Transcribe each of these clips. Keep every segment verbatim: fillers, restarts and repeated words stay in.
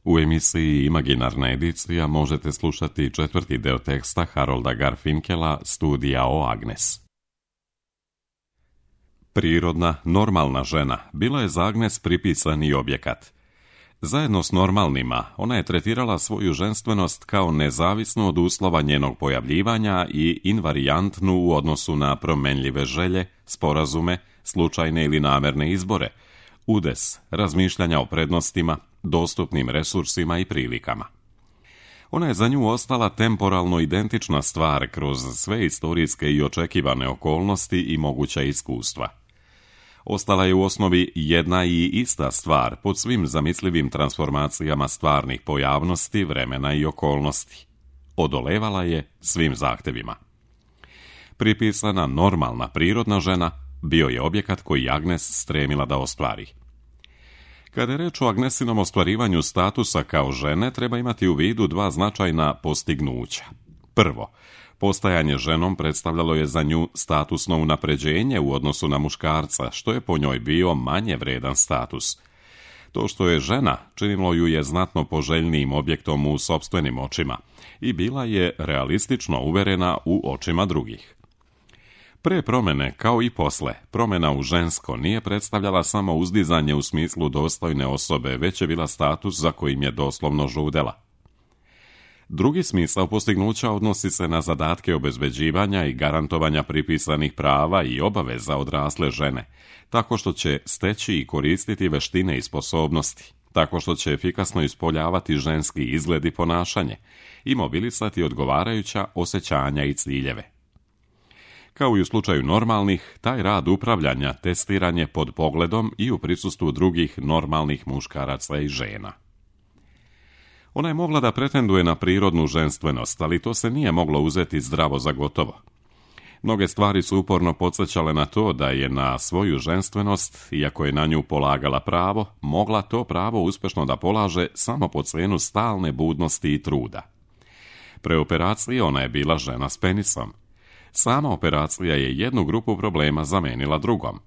U emisiji Imaginarna edicija možete slušati četvrti deo teksta Harolda Garfinkela Studija o Agnes. Prirodna, normalna žena bila je za Agnes pripisani objekat. Zajedno s normalnima, ona je tretirala svoju ženstvenost kao nezavisnu od uslova njenog pojavljivanja i invarijantnu u odnosu na promenljive želje, sporazume, slučajne ili namerne izbore, udes, razmišljanja o prednostima, dostupnim resursima i prilikama. Ona je za nju ostala temporalno identična stvar kroz sve istorijske i očekivane okolnosti i moguća iskustva. Ostala je u osnovi jedna i ista stvar pod svim zamislivim transformacijama stvarnih pojavnosti, vremena i okolnosti. Odolevala je svim zahtevima. Pripisana normalna prirodna žena bio je objekat koji Agnes stremila da ostvari. Kada je reč o Agnesinom ostvarivanju statusa kao žene, treba imati u vidu dva značajna postignuća. Prvo, postajanje ženom predstavljalo je za nju statusno unapređenje u odnosu na muškarca, što je po njoj bio manje vredan status. To što je žena činilo ju je znatno poželjnijim objektom u sopstvenim očima i bila je realistično uverena u očima drugih. Pre promene, kao i posle, promena u žensko nije predstavljala samo uzdizanje u smislu dostojne osobe, već je bila status za kojim je doslovno žudela. Drugi smisao postignuća odnosi se na zadatke obezbeđivanja i garantovanja pripisanih prava i obaveza odrasle žene, tako što će steći i koristiti veštine i sposobnosti, tako što će efikasno ispoljavati ženski izgled i ponašanje i mobilisati odgovarajuća osjećanja i ciljeve. Kao i u slučaju normalnih, taj rad upravljanja testiran je pod pogledom i u prisustvu drugih normalnih muškaraca i žena. Ona je mogla da pretenduje na prirodnu ženstvenost, ali to se nije moglo uzeti zdravo za gotovo. Mnoge stvari su uporno podsjećale na to da je na svoju ženstvenost, iako je na nju polagala pravo, mogla to pravo uspešno da polaže samo po cenu stalne budnosti i truda. Pre operacije ona je bila žena s penisom. Sama operacija je jednu grupu problema zamenila drugom.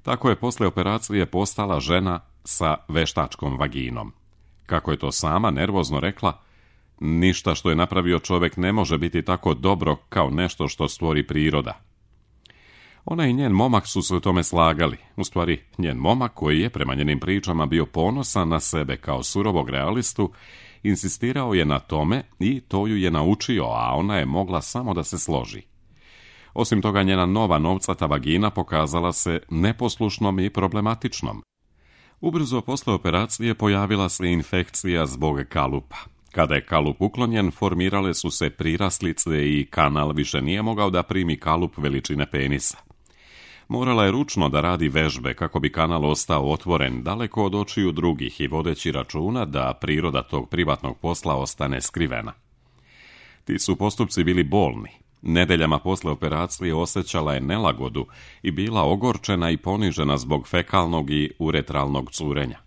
Tako je posle operacije postala žena sa veštačkom vaginom. Kako je to sama nervozno rekla, ništa što je napravio čovek ne može biti tako dobro kao nešto što stvori priroda. Ona i njen momak su se u tome slagali. U stvari, njen momak, koji je prema njenim pričama bio ponosan na sebe kao surovog realistu, insistirao je na tome i to ju je naučio, a ona je mogla samo da se složi. Osim toga, njena nova novcata vagina pokazala se neposlušnom i problematičnom. Ubrzo posle operacije pojavila se infekcija zbog kalupa. Kada je kalup uklonjen, formirale su se priraslice i kanal više nije mogao da primi kalup veličine penisa. Morala je ručno da radi vežbe kako bi kanal ostao otvoren daleko od očiju drugih i vodeći računa da priroda tog privatnog posla ostane skrivena. Ti su postupci bili bolni. Nedeljama posle operacije osjećala je nelagodu i bila ogorčena i ponižena zbog fekalnog i uretralnog curenja.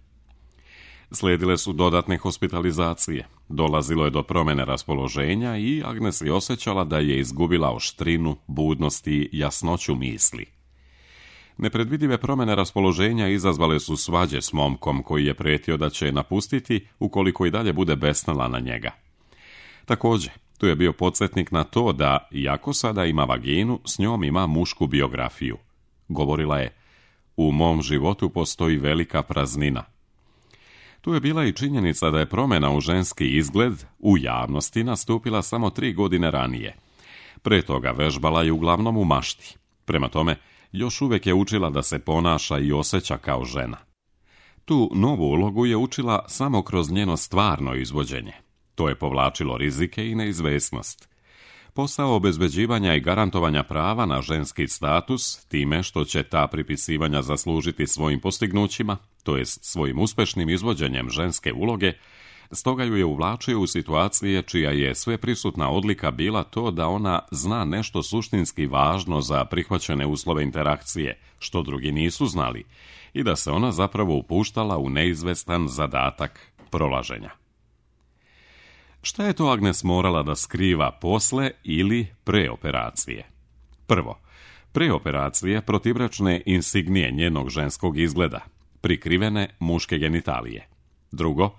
Slijedile su dodatne hospitalizacije, dolazilo je do promene raspoloženja i Agnes je osjećala da je izgubila oštrinu, budnost i jasnoću misli. Nepredvidive promene raspoloženja izazvale su svađe s momkom koji je pretio da će je napustiti ukoliko i dalje bude besnala na njega. Također, tu je bio podsjetnik na to da, iako sada ima vaginu, s njom ima mušku biografiju. Govorila je, u mom životu postoji velika praznina. Tu je bila i činjenica da je promjena u ženski izgled u javnosti nastupila samo tri godine ranije. Pre toga vežbala je uglavnom u mašti. Prema tome, još uvijek je učila da se ponaša i osjeća kao žena. Tu novu ulogu je učila samo kroz njeno stvarno izvođenje. To je povlačilo rizike i neizvesnost. Posao obezbeđivanja i garantovanja prava na ženski status, time što će ta pripisivanja zaslužiti svojim postignućima, to jest svojim uspešnim izvođenjem ženske uloge, stoga ju je uvlačio u situacije čija je sveprisutna odlika bila to da ona zna nešto suštinski važno za prihvaćene uslove interakcije, što drugi nisu znali, i da se ona zapravo upuštala u neizvestan zadatak prolaženja. Šta je to Agnes morala da skriva posle ili pre operacije? Prvo, pre operacije protivračne insignije njenog ženskog izgleda, prikrivene muške genitalije. Drugo,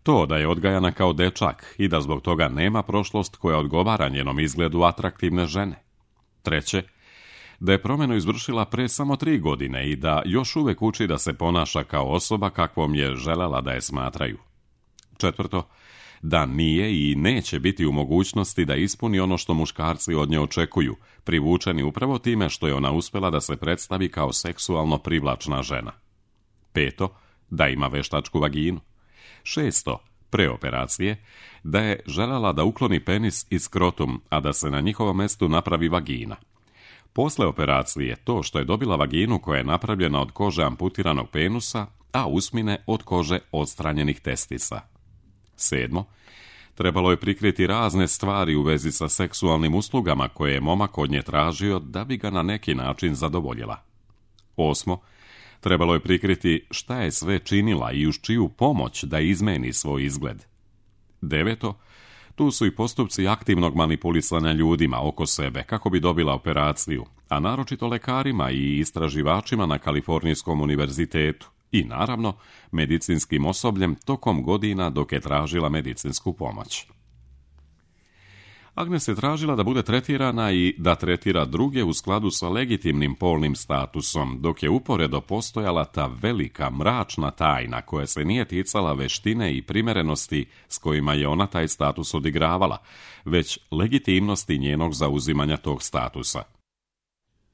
To da je odgajana kao dečak i da zbog toga nema prošlost koja odgovara njenom izgledu atraktivne žene. Treće, da je promjenu izvršila pre samo tri godine i da još uvijek uči da se ponaša kao osoba kakvom je želela da je smatraju. Četvrto, da nije i neće biti u mogućnosti da ispuni ono što muškarci od nje očekuju, privučeni upravo time što je ona uspjela da se predstavi kao seksualno privlačna žena. Peto, da ima veštačku vaginu. Šesto, pre operacije, da je željela da ukloni penis i skrotum, a da se na njihovom mjestu napravi vagina. Posle operacije, to što je dobila vaginu koja je napravljena od kože amputiranog penusa, a usmine od kože odstranjenih testisa. Sedmo, trebalo je prikriti razne stvari u vezi sa seksualnim uslugama koje je momak od nje tražio da bi ga na neki način zadovoljila. Osmo, trebalo je prikriti šta je sve činila i uz čiju pomoć da izmeni svoj izgled. Deveto, tu su i postupci aktivnog manipulisanja ljudima oko sebe kako bi dobila operaciju, a naročito lekarima i istraživačima na Kalifornijskom univerzitetu i naravno medicinskim osobljem tokom godina dok je tražila medicinsku pomoć. Agnes je tražila da bude tretirana i da tretira druge u skladu sa legitimnim polnim statusom, dok je uporedo postojala ta velika mračna tajna koja se nije ticala veštine i primerenosti s kojima je ona taj status odigravala, već legitimnosti njenog zauzimanja tog statusa.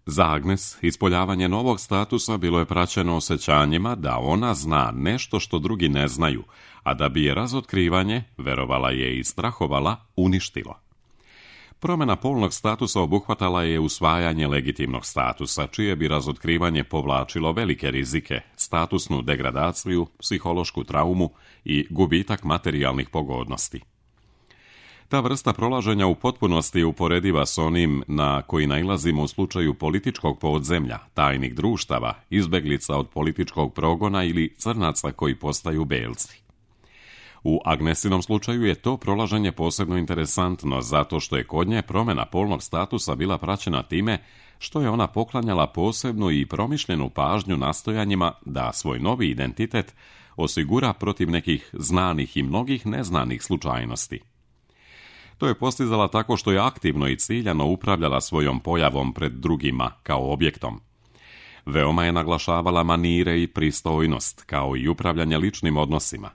Za Agnes ispoljavanje novog statusa bilo je praćeno osjećanjima da ona zna nešto što drugi ne znaju, a da bi je razotkrivanje, verovala je i strahovala, uništilo. Promjena polnog statusa obuhvatala je usvajanje legitimnog statusa, čije bi razotkrivanje povlačilo velike rizike, statusnu degradaciju, psihološku traumu i gubitak materijalnih pogodnosti. Ta vrsta prolaženja u potpunosti je uporediva s onim na koji nailazimo u slučaju političkog podzemlja, tajnih društava, izbeglica od političkog progona ili crnaca koji postaju belci. U Agnesinom slučaju je to prolaženje posebno interesantno zato što je kod nje promjena polnog statusa bila praćena time što je ona poklanjala posebnu i promišljenu pažnju nastojanjima da svoj novi identitet osigura protiv nekih znanih i mnogih neznanih slučajnosti. To je postizala tako što je aktivno i ciljano upravljala svojom pojavom pred drugima kao objektom. Veoma je naglašavala manire i pristojnost, kao i upravljanje ličnim odnosima.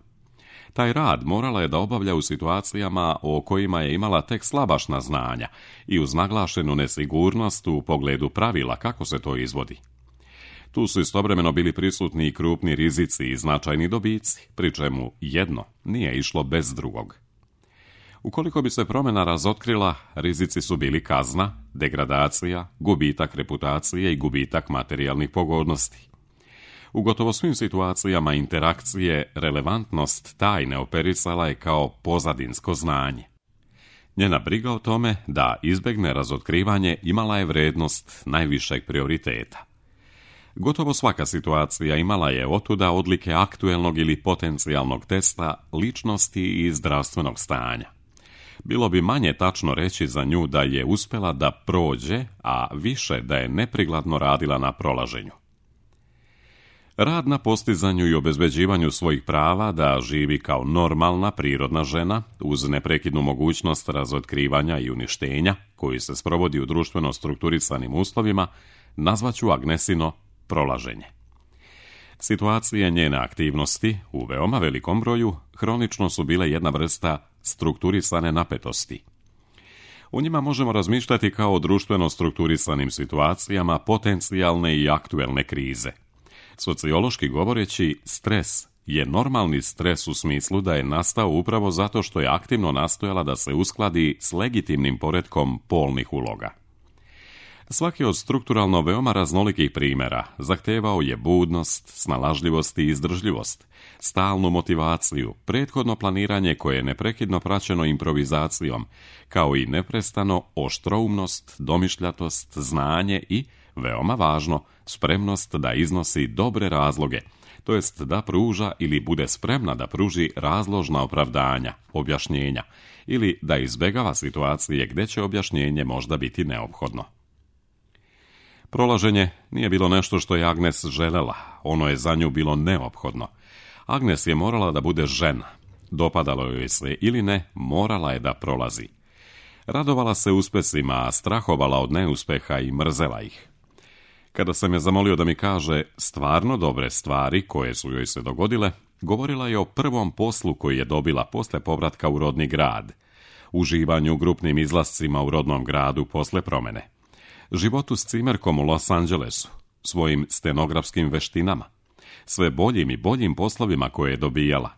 Taj rad morala je da obavlja u situacijama o kojima je imala tek slabašna znanja i uz naglašenu nesigurnost u pogledu pravila kako se to izvodi. Tu su istovremeno bili prisutni i krupni rizici i značajni dobici, pri čemu jedno nije išlo bez drugog. Ukoliko bi se promjena razotkrila, rizici su bili kazna, degradacija, gubitak reputacije i gubitak materijalnih pogodnosti. U gotovo svim situacijama interakcije relevantnost tajne operisala je kao pozadinsko znanje. Njena briga o tome da izbegne razotkrivanje imala je vrednost najvišeg prioriteta. Gotovo svaka situacija imala je otuda odlike aktuelnog ili potencijalnog testa ličnosti i zdravstvenog stanja. Bilo bi manje tačno reći za nju da je uspjela da prođe, a više da je neprikladno radila na prolaženju. Rad na postizanju i obezbeđivanju svojih prava da živi kao normalna prirodna žena uz neprekidnu mogućnost razotkrivanja i uništenja koji se sprovodi u društveno strukturisanim uslovima nazvaću Agnesino prolaženje. Situacije njene aktivnosti u veoma velikom broju hronično su bile jedna vrsta strukturisane napetosti. U njima možemo razmišljati kao o društveno strukturisanim situacijama potencijalne i aktuelne krize. Sociološki govoreći, stres je normalni stres u smislu da je nastao upravo zato što je aktivno nastojala da se uskladi s legitimnim poretkom polnih uloga. Svaki od strukturalno veoma raznolikih primjera zahtevao je budnost, snalažljivost i izdržljivost, stalnu motivaciju, prethodno planiranje koje je neprekidno praćeno improvizacijom, kao i neprestano oštroumnost, domišljatost, znanje i, veoma važno, spremnost da iznosi dobre razloge, to jest da pruža ili bude spremna da pruži razložna opravdanja, objašnjenja, ili da izbegava situacije gdje će objašnjenje možda biti neophodno. Prolaženje nije bilo nešto što je Agnes želela, ono je za nju bilo neophodno. Agnes je morala da bude žena, Dopadalo joj se ili ne, morala je da prolazi. Radovala se uspesima, a strahovala od neuspeha i mrzela ih. Kada sam je zamolio da mi kaže stvarno dobre stvari koje su joj se dogodile, govorila je o prvom poslu koji je dobila posle povratka u rodni grad, uživanju u grupnim izlascima u rodnom gradu posle promene, životu s cimerkom u Los Angelesu, svojim stenografskim veštinama, sve boljim i boljim poslovima koje je dobijala,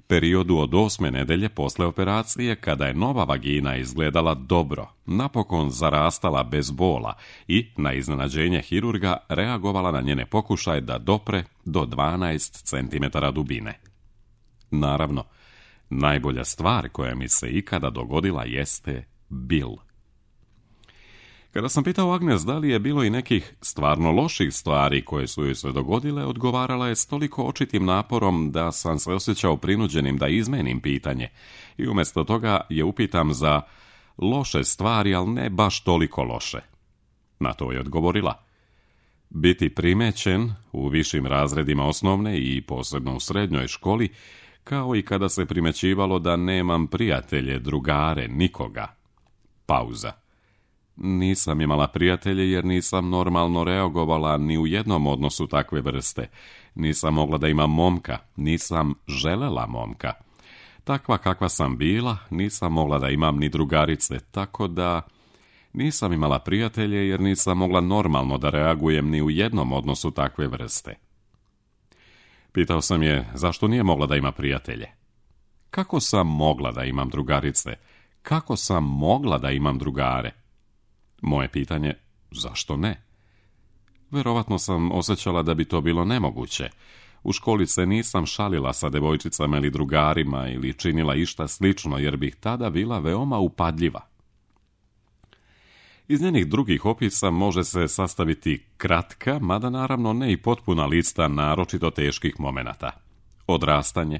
periodu od osme nedelje posle operacije kada je nova vagina izgledala dobro, napokon zarastala bez bola i, na iznenađenje hirurga, reagovala na njene pokušaje da dopre do dvanaest centimetara dubine. Naravno, najbolja stvar koja mi se ikada dogodila jeste Bill. Kada sam pitao Agnes da li je bilo i nekih stvarno loših stvari koje su joj se dogodile, odgovarala je s toliko očitim naporom da sam se osjećao prinuđenim da izmenim pitanje i umjesto toga je upitam za loše stvari, ali ne baš toliko loše. Na to je odgovorila: biti primećen u višim razredima osnovne i posebno u srednjoj školi, kao i kada se primećivalo da nemam prijatelje, drugare, nikoga. Pauza. Nisam imala prijatelje jer nisam normalno reagovala ni u jednom odnosu takve vrste. Nisam mogla da imam momka, nisam želela momka. Takva kakva sam bila, nisam mogla da imam ni drugarice, tako da nisam imala prijatelje jer nisam mogla normalno da reagujem ni u jednom odnosu takve vrste. Pitao sam je zašto nije mogla da ima prijatelje. Kako sam mogla da imam drugarice? Kako sam mogla da imam drugare? Moje pitanje, zašto ne? Verovatno sam osjećala da bi to bilo nemoguće. U školi se nisam šalila sa devojčicama ili drugarima ili činila išta slično, jer bih tada bila veoma upadljiva. Iz njenih drugih opisa može se sastaviti kratka, mada naravno ne i potpuna lista naročito teških momenata. Odrastanje,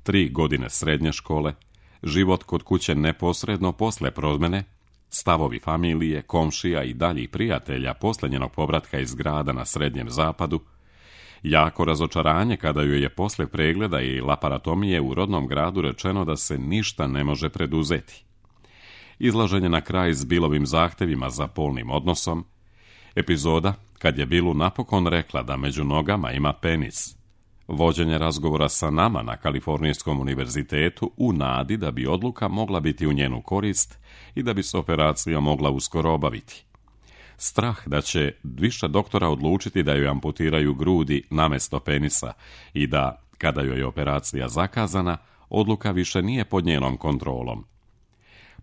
tri godine srednje škole, život kod kuće neposredno posle promene, stavovi familije, komšija i daljih prijatelja posle njenog povratka iz grada na Srednjem zapadu, jako razočaranje kada joj je posle pregleda i laparatomije u rodnom gradu rečeno da se ništa ne može preduzeti, izlaženje na kraj s Billovim zahtevima za polnim odnosom, epizoda kad je Billu napokon rekla da među nogama ima penis, vođenje razgovora sa nama na Kalifornijskom univerzitetu u nadi da bi odluka mogla biti u njenu korist i da bi se operacija mogla uskoro obaviti. Strah da će više doktora odlučiti da joj amputiraju grudi namesto penisa i da, kada joj je operacija zakazana, odluka više nije pod njenom kontrolom.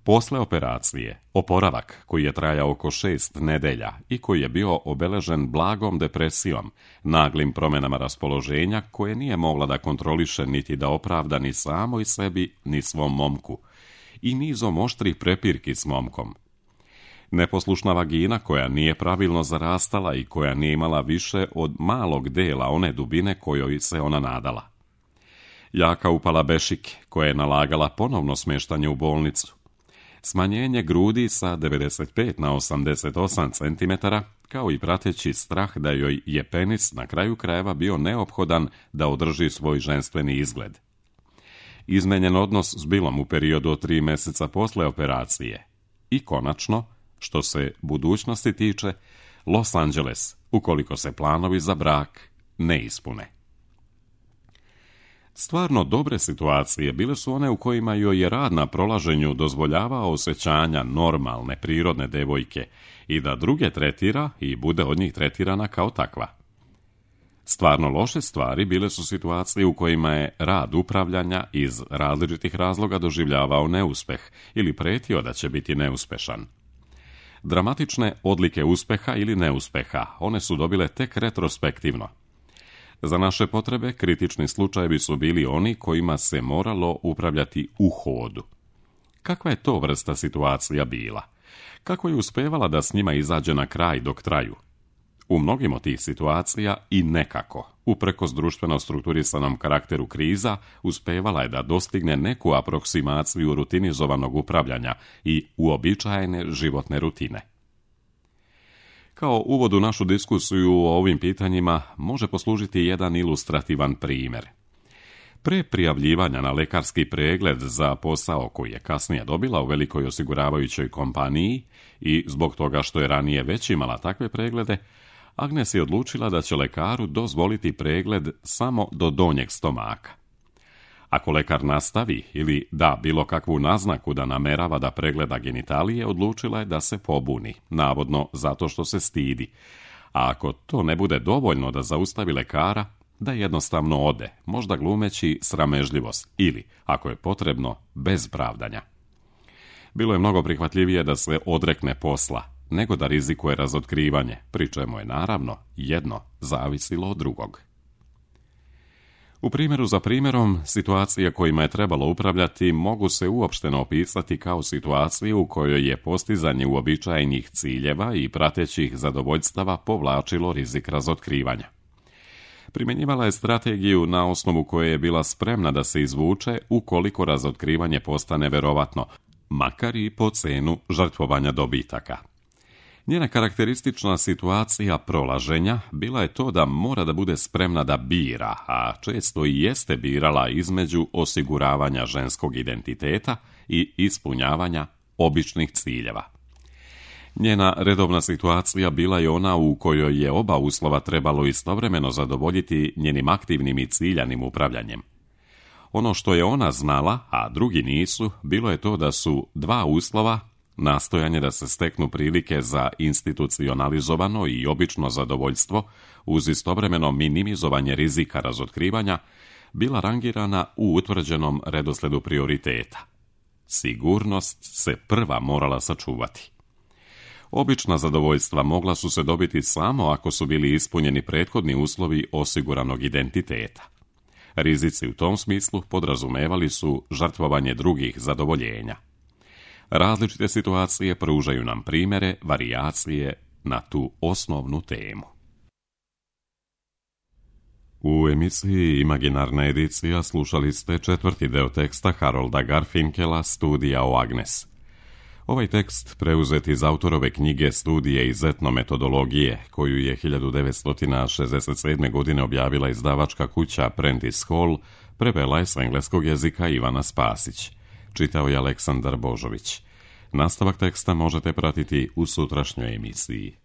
Posle operacije, oporavak koji je trajao oko šest nedelja i koji je bio obeležen blagom depresijom, naglim promjenama raspoloženja koje nije mogla da kontroliše niti da opravda ni samoj sebi ni svom momku, i nizom oštrih prepirki s momkom. Neposlušna vagina koja nije pravilno zarastala i koja nije imala više od malog dela one dubine kojoj se ona nadala. Jaka upala bešike koja je nalagala ponovno smještanje u bolnicu. Smanjenje grudi sa devedeset pet na osamdeset osam centimetara, kao i prateći strah da joj je penis na kraju krajeva bio neophodan da održi svoj ženstveni izgled. Izmenjen odnos s Billom u periodu od tri mjeseca posle operacije. I konačno, što se budućnosti tiče, Los Angeles, ukoliko se planovi za brak ne ispune. Stvarno dobre situacije bile su one u kojima joj je rad na prolaženju dozvoljavao osjećanja normalne, prirodne devojke i da druge tretira i bude od njih tretirana kao takva. Stvarno loše stvari bile su situacije u kojima je rad upravljanja iz različitih razloga doživljavao neuspeh ili pretio da će biti neuspešan. Dramatične odlike uspeha ili neuspeha, one su dobile tek retrospektivno. Za naše potrebe kritični slučajevi su bili oni kojima se moralo upravljati u hodu. Kakva je to vrsta situacija bila? Kako je uspevala da s njima izađe na kraj dok traju? U mnogim od tih situacija i nekako, uprkos društveno strukturisanom karakteru kriza, uspevala je da dostigne neku aproksimaciju rutinizovanog upravljanja i uobičajene životne rutine. Kao uvod u našu diskusiju o ovim pitanjima može poslužiti jedan ilustrativan primjer. Pre prijavljivanja na lekarski pregled za posao koji je kasnije dobila u velikoj osiguravajućoj kompaniji i zbog toga što je ranije već imala takve preglede, Agnes je odlučila da će lekaru dozvoliti pregled samo do donjeg stomaka. Ako lekar nastavi ili da bilo kakvu naznaku da namerava da pregleda genitalije, odlučila je da se pobuni, navodno zato što se stidi. A ako to ne bude dovoljno da zaustavi lekara, da jednostavno ode, možda glumeći sramežljivost ili, ako je potrebno, bez pravdanja. Bilo je mnogo prihvatljivije da se odrekne posla, nego da rizikuje razotkrivanje, pri čemu je naravno jedno zavisilo od drugog. U primjeru za primjerom, situacije kojima je trebalo upravljati mogu se uopšteno opisati kao situaciju u kojoj je postizanje uobičajenih ciljeva i pratećih zadovoljstava povlačilo rizik razotkrivanja. Primjenjivala je strategiju na osnovu koje je bila spremna da se izvuče ukoliko razotkrivanje postane verovatno, makar i po cenu žrtvovanja dobitaka. Njena karakteristična situacija prolaženja bila je to da mora da bude spremna da bira, a često i jeste birala između osiguravanja ženskog identiteta i ispunjavanja običnih ciljeva. Njena redovna situacija bila je ona u kojoj je oba uslova trebalo istovremeno zadovoljiti njenim aktivnim i ciljanim upravljanjem. Ono što je ona znala, a drugi nisu, bilo je to da su dva uslova, nastojanje da se steknu prilike za institucionalizovano i obično zadovoljstvo, uz istovremeno minimizovanje rizika razotkrivanja, bila rangirana u utvrđenom redosledu prioriteta. Sigurnost se prva morala sačuvati. Obična zadovoljstva mogla su se dobiti samo ako su bili ispunjeni prethodni uslovi osiguranog identiteta. Rizici u tom smislu podrazumevali su žrtvovanje drugih zadovoljenja. Različite situacije pružaju nam primjere, varijacije na tu osnovnu temu. U emisiji Imaginarna edicija slušali ste četvrti deo teksta Harolda Garfinkela Studija o Agnes. Ovaj tekst preuzet iz autorove knjige Studije iz etnometodologije, koju je hiljadu devetsto šezdeset sedme. godine objavila izdavačka kuća Prentice Hall, prevela je s engleskog jezika Ivana Spasić. Čitao je Aleksandar Božović. Nastavak teksta možete pratiti u sutrašnjoj emisiji.